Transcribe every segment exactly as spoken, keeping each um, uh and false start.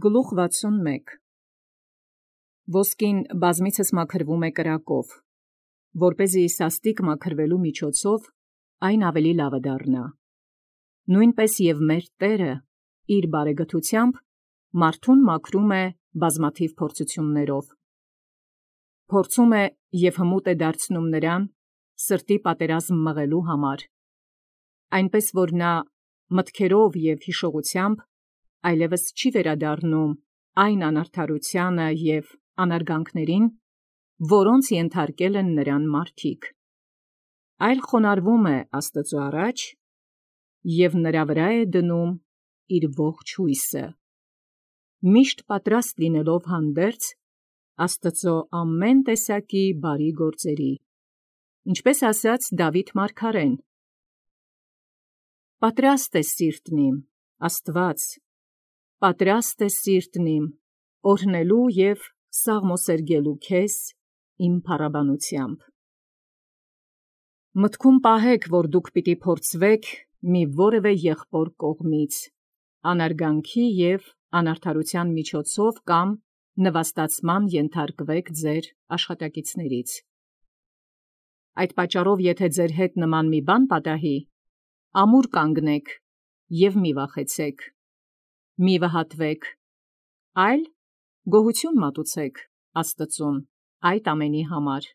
Գլուխ վաթսունմեկ Ոսկին բազմիցս մաքրվում է կրակով, որպեսզի սաստիկ մաքրվելու միջոցով այն ավելի լավը դառնա։ Նույնպես և մեր Տերը իր բարեգթությամբ մարդուն մաքրում է բազմաթիվ փորձություններով։ Փորձում է և հմուտ է դարձնում նրան սրտի պատերազմ մղելու համար, այնպես որ նա մտքերով և հիշողությամբ այլևս չի վերադառնում այն անարդարութիւնը և անարգանքներին, որոնց ենթարկել են նրան մարդիկ, այլ խոնարհվում է Աստուծոյ առաջ և նրա վրա է դնում իր ողջ հույսը, միշտ պատրաստ լինելով հանդերձ Աստուծոյ ամեն տեսակի բարի գործերի, ինչպես ասաց Դաւիթ մարգարեն. «Պատրաստ է սիրտն իմ, Աստուած, պատրաստ է սիրտն իմ, օրհնելու և սաղմոսերգելու քեզ իմ փառաբանութեամբ»։ Մտքում պահեք, որ դուք պիտի փորձվեք մի որևէ եղբոր կողմից, անարգանքի և անարդարութեան միջոցով կամ նվաստացման ենթարկվեք ձեր աշխատակիցներից։ Այդ պատճառով եթե ձեր հետ նման մի բան պատահի, ամուր կանգնեք և մի վախեցեք, մի վհատվեք, այլ գոհություն մատուցեք Աստուծուն այդ ամենի համար,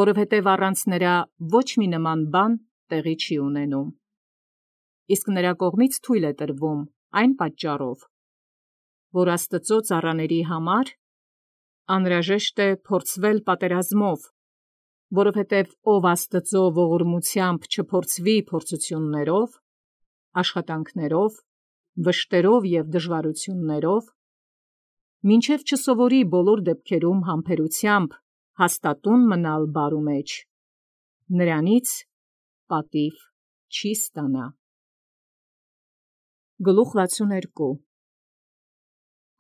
որովհետև առանց նրա ոչ մի նման բան տեղի չի ունենում, իսկ նրա կողմից թույլ է տրվում այն պատճառով, որ Աստուծոյ ծառաների համար անհրաժեշտ է փորձվել պատերազմով, որովհետև ով Աստուծոյ ողորմութեամբ չփորձվի փորձութիւններով, աշխատանքներով, վշտերով և դժվարութիւններով, մինչև չսովորի բոլոր դեպքերում համբերութեամբ հաստատուն մնալ բարու մեջ, նրանից պատիւ չի ստանա։ Գլուխ վաթսունհրկու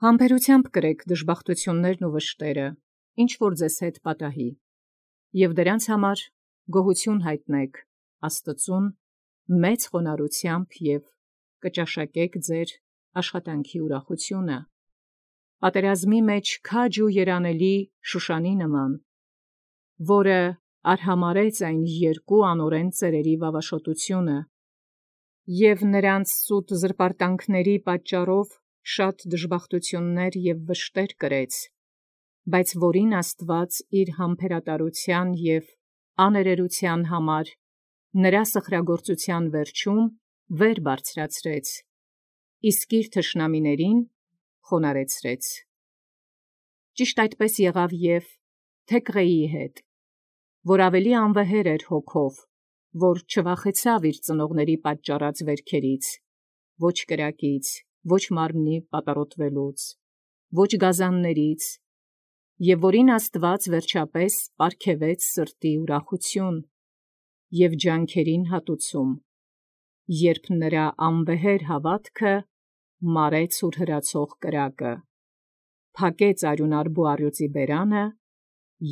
Համբերութեամբ կրեք դժբախտութիւններն ու վշտերը, ինչ որ ձեզ հետ պատահի, և դրանց համար գոհություն հայտնեք Աստուծուն մեծ խոնարհությամբ և կճաշակեք ձեր աշխատանքի ուրախութիւնը, պատերազմի մեջ քաջ ու երանելի Շուշանի նման, որը արհամարհեց այն երկու անօրեն ծերերի վավաշոտութիւնը և նրանց սուտ զրպարտանքների պատճառով շատ դժբախտութիւններ և վշտեր կրեց, բայց որին Աստուած իր համբերատարութեան և աներերութեան համար նրա սխրագործութեան վերջում վեր բարձրացրեց, իսկ իր թշնամիներին խոնարհեցրեց։ Ճիշտ այդպես եղավ և Թեքղեի հետ, որ ավելի անվեհեր էր հոգով, որ չվախեցավ իր ծնողների պատճառած վերքերից, ոչ կրակից, ոչ մարմնի պատառոտվելուց, ոչ գազաններից, և որին Աստուած վերջապէս պարգևեց սրտի ուրախութիւն և ջանքերին հատուցում, երբ նրա անվեհեր հաւատքը մարեց ուրհրացող կրակը, փակեց արիւնարբու առյուծի բերանը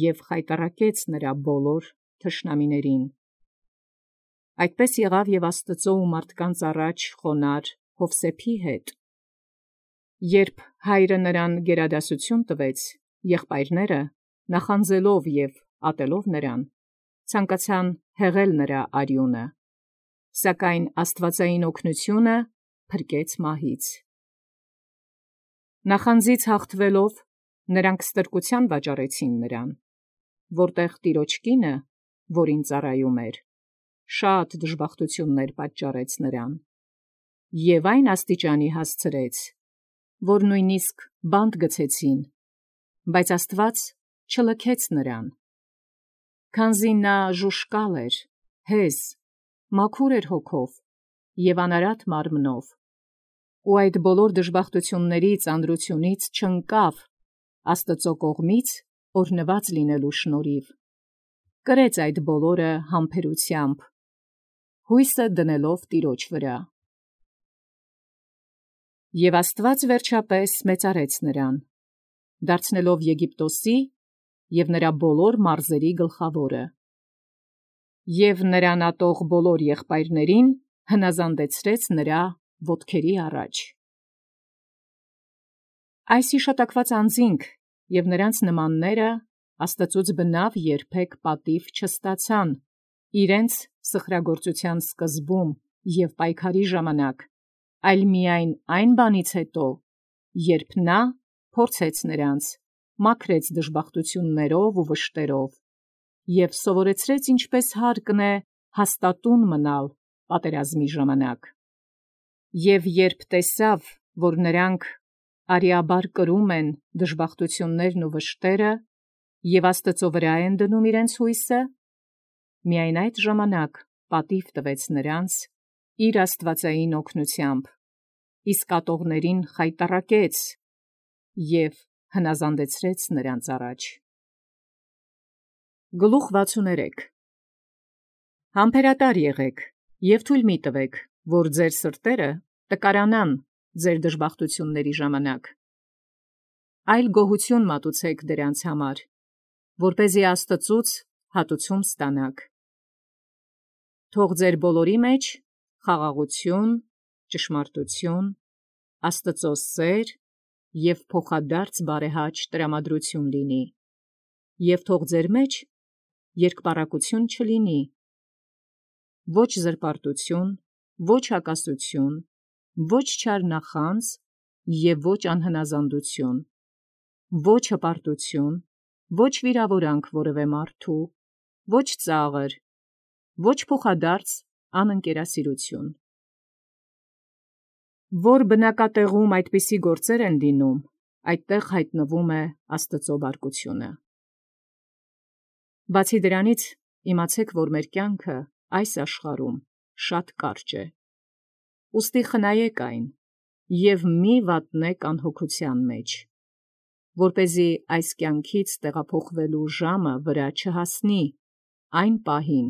և խայտառակեց նրա բոլոր թշնամիներին։ Այդպես եղավ և Աստուծոյ ու մարդկանց առաջ խոնարհ Յովսէփի հետ, երբ հայրը նրան գերադասութիւն տվեց, եղբայրները նախանձելով և ատելով նրան, ցանկացան հեղել նրա արիւնը, սակայն աստուածային օգնութիւնը փրկեց մահից։ Նախանձից հաղթեալով նրանք ստրկութեան վաճառեցին նրան, որտեղ տիրոջ կինը, որին ծառայում էր, շատ դժբախտութիւններ պատճառեց նրան, և այն աստիճանի հասցրեց, որ նոյնպիսկ բանտ գցեցին, բայց Աստուած չլքեց նրան, քանզի նա ժուժկալ էր, հեզ, մաքուր էր հոգով և անարատ մարմնով, ու այդ բոլոր դժբախտութիւնների ծանրութիւնից չընկավ Աստուծոյ կողմից օրհնուած լինելու շնորհիւ, կրեց այդ բոլորը համբերութեամբ, հույսը դնելով տիրոջ վրա։ Եւ Աստուած վերջապէս մեծարեց նրան, դարձնելով Եգիպտոսի և նրա բոլոր մարզերի գլխաւորը, և նրան ատող բոլոր եղբայրացն հնազանդեցրեց նրա ոտքերի առաջ։ Այս իշտակված անձինք և նրանց նմանները Աստծուց բնավ երբեք պատիվ չստացան իրենց սխրագործության սկզբում և պայքարի ժամանակ, այլ միայն այն բանից հետո, երբ նա փորձեց նրանց, մաքրեց դժբախտություններով ու վշտերով, և սովորեցրեց ինչպես հարկն է հաստատուն մնալ պատերազմի ժամանակ։ Եվ երբ տեսավ, որ նրանք արիաբար կրում են դժբախտություններն ու վշտերը, և Աստծո վրա են դնում իրենց հույսը, միայն այդ ժամանակ պատիվ տվեց նրանց իր աստվածային օգնությամբ, իսկ ատողներին խայտառակեց և հնազանդեցրեց նրանց առաջ։ Գլուխ վաթսուներեք Համբերատար եղեք և թույլ մի տվեք, որ ձեր սրտերը տկարանան ձեր դժբախտությունների ժամանակ, այլ գոհություն մատուցեք դրանց համար, որպեսզի Աստծուց հատուցում ստանաք։ Թող ձեր բոլորի մեջ խաղաղություն, ճշմարտություն, Աստծո սեր և փոխադարձ բարեհաճ տրամադրություն լինի, և թող ձեր մեջ երկպառակություն չլինի, ոչ զրպարտություն, ոչ հակասություն, ոչ չար նախանձ և ոչ անհնազանդություն, ոչ հպարտություն, ոչ վիրավորանք որևէ մարդու, ոչ ծաղր, ոչ փոխադարձ անընկերասիրություն։ Որ բնակատեղում այդպիսի գործեր են լինում, այդտեղ հայտնվում է Աստծո բարկությունը։ Բացի դրանից, իմացեք, որ մեր կյանքը այս աշխարհում շատ կարճ է։ Ուստի խնայեք այն և մի վատնեք անհոգության մեջ, որպեսզի այս կյանքից տեղափոխվելու ժամը վրա չհասնի այն պահին,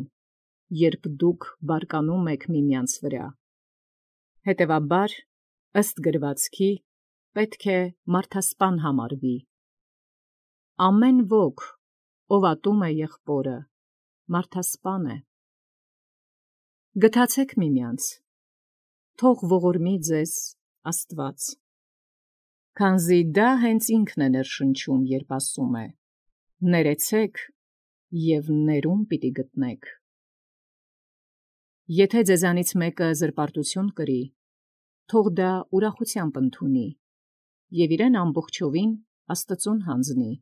երբ դուք բարկանում եք միմյանց վրա։ Հետևաբար, ըստ գրվածքի, պետք է մարդասպան համարվի։ Ամեն ոք, ով ատում է եղբորը, մարդասպան է։ Գթացեք միմյանց, թող ողորմի ձեզ Աստված, քանզի դա հենց ինքն է ներշնչում, երբ ասում է. «Ներեցեք և ներում պիտի գտնեք»։ Եթե ձեզանից մեկը զրպարտություն կրի, թող դա ուրախությամբ ընդունի և իրեն ամբողջովին Աստծուն հանձնի,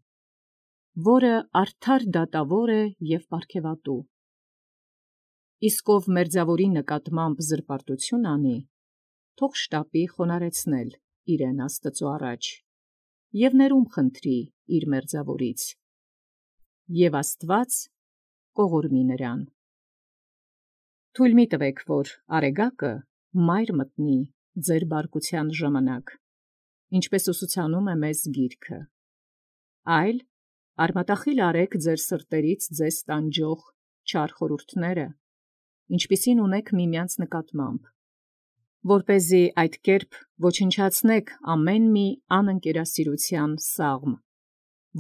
որը արդար դատավոր է և պարգևատու։ Իսկ ով մերձավորի նկատմամբ զրպարտություն անի, թող շտապի խոնարհեցնել իրեն Աստծո առաջ և ներում խնդրի իր մերձավորից, և Աստված կողորմի նրան։ Թույլ մի տվեք, որ արեգակը մայր մտնի ձեր բարկության ժամանակ, ինչպես ուսուցանում է մեզ Գիրքը, այլ արմատախիլ արեք ձեր սրտերից ձեզ տանջող չար խորհուրդները, ինչպիսին ունեք միմյանց նկատմամբ, որպեսզի այդ կերպ ոչնչացնեք ամեն մի անընկերասիրության սաղմ,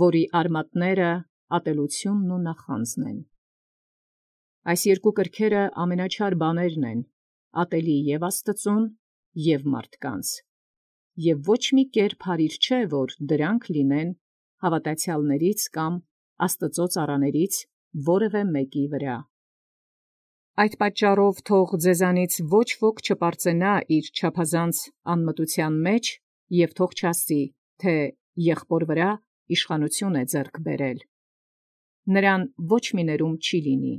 որի արմատները ատելությունն ու նախանձն են։ Այս երկու կրքերը ամենաչար բաներն են, ատելի և Աստծուն, և մարդկանց, և ոչ մի կերպ հարիր չէ, որ դրանք լինեն հավատացյալներից կամ Աստծո ծառաներից որևէ մեկի վրա։ Այդ պատճառով թող ձեզանից ոչ ոք չպարծենա իր չափազանց անմտության մեջ և թող չասի, թե եղբոր վրա իշխանություն է ձեռք բերել. նրան ոչ մի ներում չի լինի։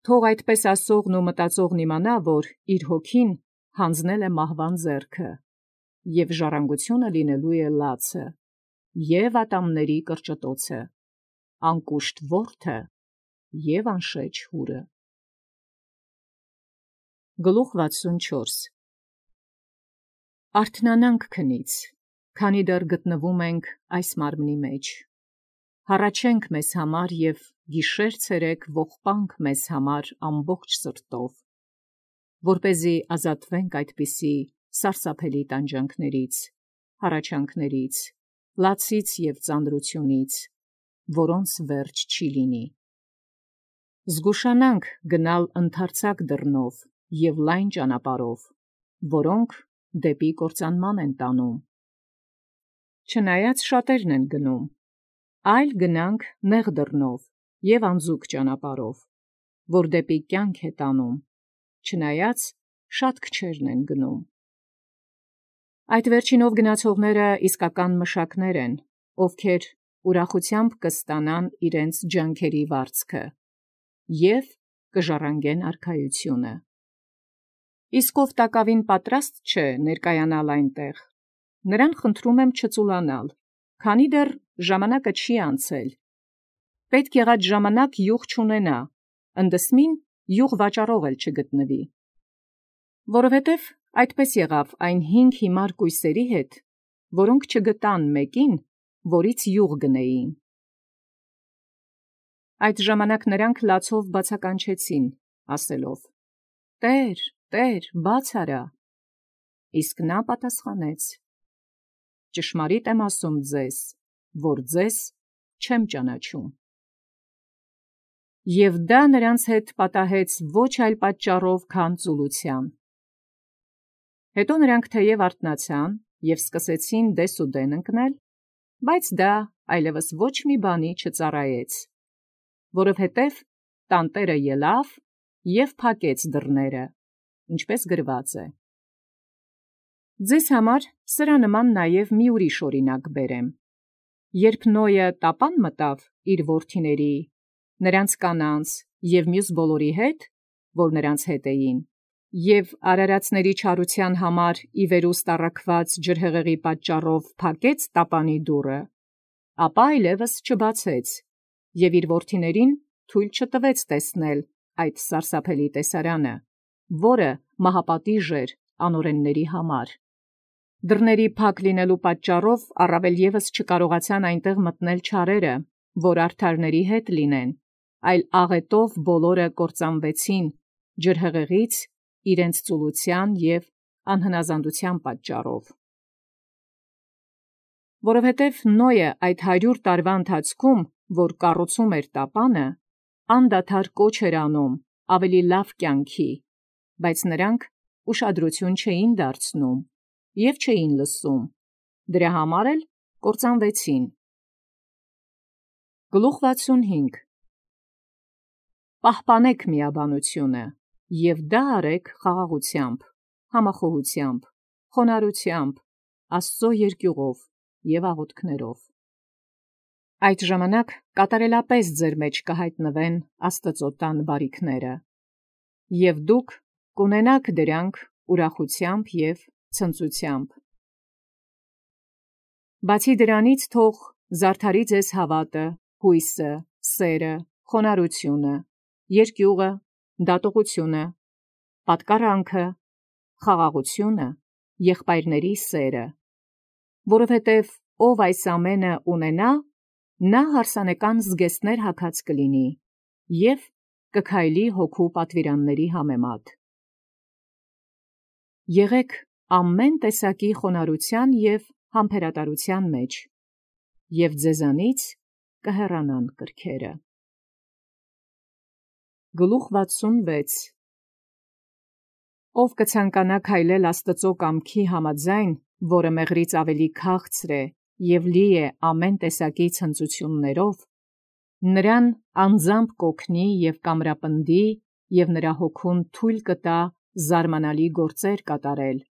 Թող այդպես ասողն ու մտածողն իմանա, որ իր հոգին հանձնել է մահվան ձեռքը, և ժառանգությունը լինելու է լացը, և ատամների կրճտոցը, անկուշտ որդը և անշեջ հուրը։ Գլուխ վաթսունչորս Արթնանանք քնից, քանի դեռ գտնվում ենք այս մարմնի մեջ, հառաչենք մեզ համար և գիշեր-ցերեկ ողբանք մեզ համար ամբողջ սրտով, որպեսզի ազատվենք այդպիսի սարսափելի տանջանքներից, հառաչանքներից, լացից և ծանրությունից, որոնց վերջ չի լինի։ Զգուշանանք գնալ ընդարձակ դռնով և լայն ճանապարհով, որոնք դեպի կործանման են տանում, չնայած շատերն են գնում, այլ գնանք նեղ դռնով և անձուկ ճանապարհով, որ դեպի կյանք է տանում, չնայած շատ քչերն են գնում։ Այդ վերջինով գնացողները իսկական մշակներ են, ովքեր ուրախությամբ կստանան իրենց ջանքերի վարձքը և կժառանգեն արքայությունը։ Իսկ ով տակավին պատրաստ չէ ներկայանալ այնտեղ, նրան խնդրում եմ չծուլանալ, քանի դեռ ժամանակը չի անցել։ Պետք եղած ժամանակ յուղ չունենա, ընդդեմ յուղ վաճառող էլ չգտնվի։ Որովհետև այդպես եղավ այն հինգ հիմար կույսերի հետ, որոնք չգտան մեկին, որից յուղ գնեին։ Այդ ժամանակ նրանք լացով բացականչեցին, ասելով. «Տե՛ր, Տե՛ր, բաց արա»։ Իսկ նա պատասխանեց. «Ճշմարիտ եմ ասում ձեզ, որ ձեզ չեմ ճանաչում»։ Եվ դա նրանց հետ պատահեց ոչ այլ պատճառով, քան ծուլության։ Հետո նրանք թեև արթնացան և սկսեցին դեսուդեն ընկնել, բայց դա այլևս ոչ մի բանի չծառայեց, որովհետև տանտերը ելավ և փակեց դռները, ինչպես գրված է։ Ձեզ համար սրա նման նաև մի ուրիշ օրինակ բերեմ. երբ Նոյը տապան մտավ իր որդիների, նրանց կանանց և մյուս բոլորի հետ, որ նրանց հետ էին, և արարածների չարության համար ի վերուստ առաքված ջրհեղեղի պատճառով փակեց տապանի դուռը, ապա այլևս չբացեց, և իր որդիներին թույլ չտվեց տեսնել այդ սարսափելի տեսարանը, որը մահապատիժ էր անօրենների համար։ Դռների փակ լինելու պատճառով առավել ևս չկարողացան այնտեղ մտնել չարերը, որ արդարների հետ լինեն, այլ աղետով բոլորը կործանվեցին ջրհեղեղից իրենց ծուլության և անհնազանդության պատճառով։ Որովհետև Նոյը այդ հարյուր տարվա ընթացքում, որ կառուցում էր տապանը, անդադար կոչ էր անում ավելի լավ կյանքի, բայց նրանք ուշադրություն չէին դարձնում և չէին լսում, դրա համար էլ կործանվեցին։ Գլուխ վաթսունհինգ Պահպանեք միաբանությունը և դա արեք խաղաղությամբ, համախոհությամբ, խոնարհությամբ, Աստծո երկյուղով և աղոթքներով։ Այդ ժամանակ կատարելապես ձեր մեջ կհայտնվեն Աստծո տան բարիքները, և դուք կունենաք դրանք ուրախությամբ և ցնծությամբ։ Բացի դրանից թող զարդարի ձեզ հավատը, հույսը, սերը, խոնարհությունը, երկյուղը, դատողությունը, պատկառանքը, խաղաղությունը, եղբայրների սերը, որովհետև ով այս ամենը ունենա, նա հարսանեկան զգեստներ հագած կլինի և կքայլի հոգու պատվիրանների համեմատ։ Եղեք ամեն տեսակի խոնարհության և համբերատարության մեջ, և ձեզանից կհեռանան կրքերը։ Գլուխ վաթսունվեց Ով կցանկանա քայլել Աստծո կամքի համաձայն, որը մեղրից ավելի քաղցր է և լի է ամեն տեսակի ցնծություններով, նրան անձամբ կօգնի և կամրապնդի և նրա հոգուն թույլ կտա զարմանալի գործեր կատարել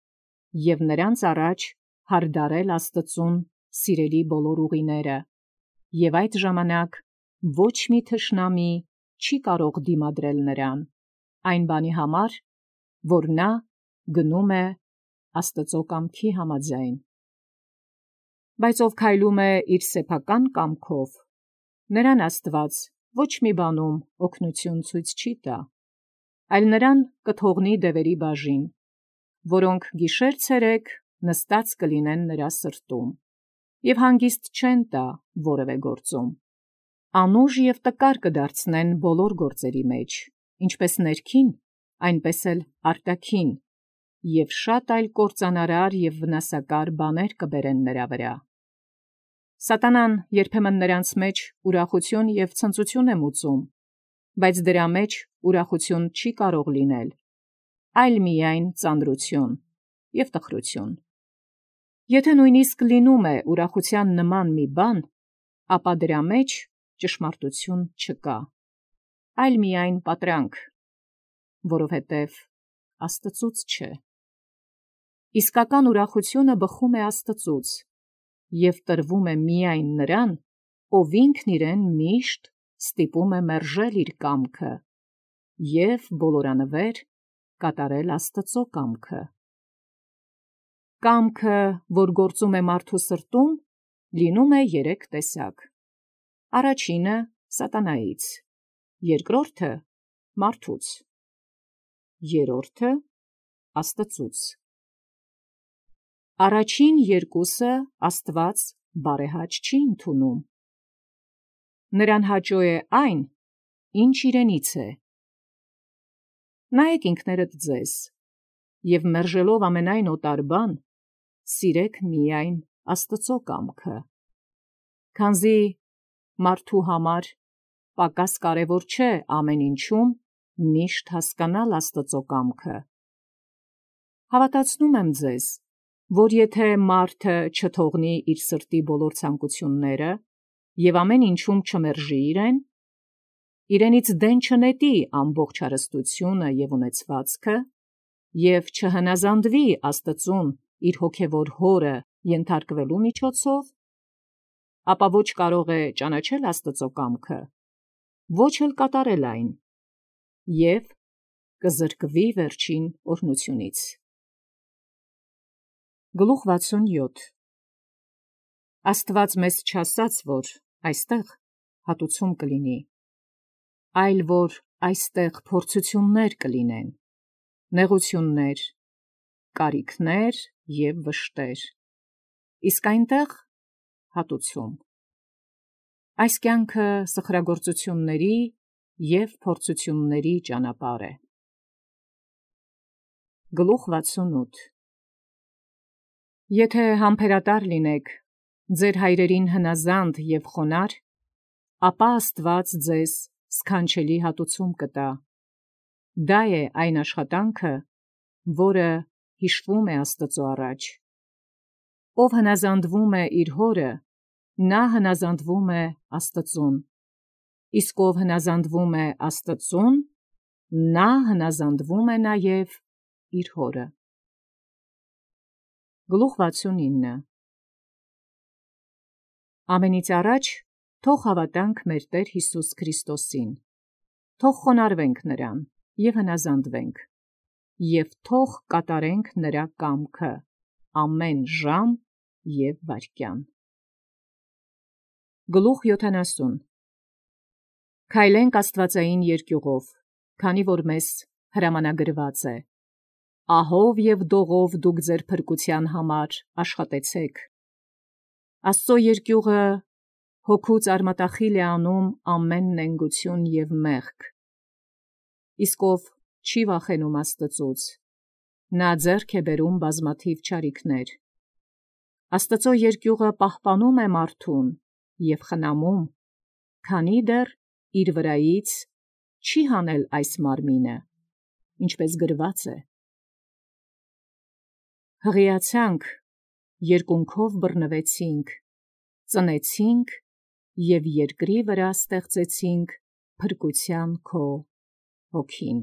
և նրանց առաջ հարդարել Աստծուն սիրելի բոլոր ուղիները, և այդ ժամանակ ոչ մի թշնամի չի կարող դիմադրել նրան, այն բանի համար, որ նա գնում է Աստծո կամքի համաձայն։ Բայց ով քայլում է իր սեփական կամքով, նրան Աստված ոչ մի բանում օգնություն ցույց չի տա, այլ նրան կթողնի դևերի բաժին, որոնք գիշեր-ցերեկ նստած կլինեն նրա սրտում, և հանգիստ չեն տա որևէ գործում։ Անուժ և տկար կդարձնեն բոլոր գործերի մեջ, ինչպես ներքին, այնպես էլ արտաքին, և շատ այլ կործանարար և վնասակար բաներ կբերեն նրա վրա։ Սատանան երբեմն նրանց մեջ ուրախություն և ցնծություն է մուծում, բայց դրա մեջ ուրախություն չի կարող լինել, այլ միայն ծանրություն և տխրություն։ Եթե նույնիսկ լինում է ուրախության նման մի բան, ապա դրա մեջ ճշմարտություն չկա, այլ միայն պատրանք, որովհետև Աստծուց չէ։ Իսկական ուրախությունը բխում է Աստծուց և տրվում է միայն նրան, ով ինքն իրեն միշտ ստիպում է մերժել իր կամքը և բոլորանվեր կատարել Աստծո կամքը։ Կամքը, որ գործում է մարդու սրտում, լինում է երեք տեսակ. առաջինը սատանայից, երկրորդը մարդուց, երրորդը Աստծուց։ Առաջին երկուսը Աստված բարեհաճ չի ընդունում։ Նրան հաճո է այն, ինչ իրենից է։ Նայեք ինքներդ ձեզ և մերժելով ամենայն օտար բան, սիրեք միայն Աստծո կամքը, քանզի մարդու համար պակաս կարևոր չէ ամեն ինչում միշտ հասկանալ Աստծո կամքը։ Հավատացնում եմ ձեզ, որ եթե մարդը չթողնի իր սրտի բոլոր ցանկությունները և ամեն ինչում չմերժի իրեն, իրենից դեն չնետի ամբողջ հարստությունը և ունեցվածքը և չհնազանդվի Աստծուն իր հոգևոր հորը ենթարկվելու միջոցով, ապա ոչ կարող է ճանաչել Աստծո կամքը, ոչ էլ կատարել այն, և կզրկվի վերջին օրհնությունից։ Գլուխ վաթսունյոթ Աստված մեզ չասաց, որ այստեղ հատուցում կլինի, այլ որ այստեղ փորձություններ կլինեն, նեղություններ, կարիքներ և վշտեր, իսկ այնտեղ հատուցում։ Այս կյանքը սխրագործությունների և փորձությունների ճանապարհ է։ Գլուխ վաթսունութ Եթե համբերատար լինեք, ձեր հայրերին հնազանդ և խոնարհ, ապա Աստված ձեզ սքանչելի հատուցում կտա։ Դա է այն աշխատանքը, որը հիշվում է Աստծո առաջ։ Ով հնազանդվում է իր հորը, նա հնազանդվում է Աստծուն, իսկ ով հնազանդվում է Աստծուն, նա հնազանդվում է նաև իր հորը։ Գլուխ վաթսունինը Ամենից առաջ թող հավատանք մեր Տեր Հիսուս Քրիստոսին, թող խոնարհվենք նրան և հնազանդվենք, և թող կատարենք նրա կամքը ամեն ժամ և վայրկյան։ Գլուխ յոթանասուն Քայլենք աստվածային երկյուղով, քանի որ մեզ հրամանագրված է. Ահով և դողով դուք ձեր փրկության համար աշխատեցեք։ Աստծո երկյուղը հոգուց արմատախիլ է անում ամեն նենգություն և մեղք։ Իսկ ով չի վախենում Աստծուց, նա ձեռք է բերում բազմաթիվ չարիքներ։ Աստծո երկյուղը պահպանում է մարդուն և խնամում, քանի դեռ իր վրայից չի հանել այս մարմինը, ինչպես գրված է. Հղիացանք, երկունքով բռնվեցինք, ծնեցինք և երկրի վրա ստեղծեցինք փրկության քո հոգին։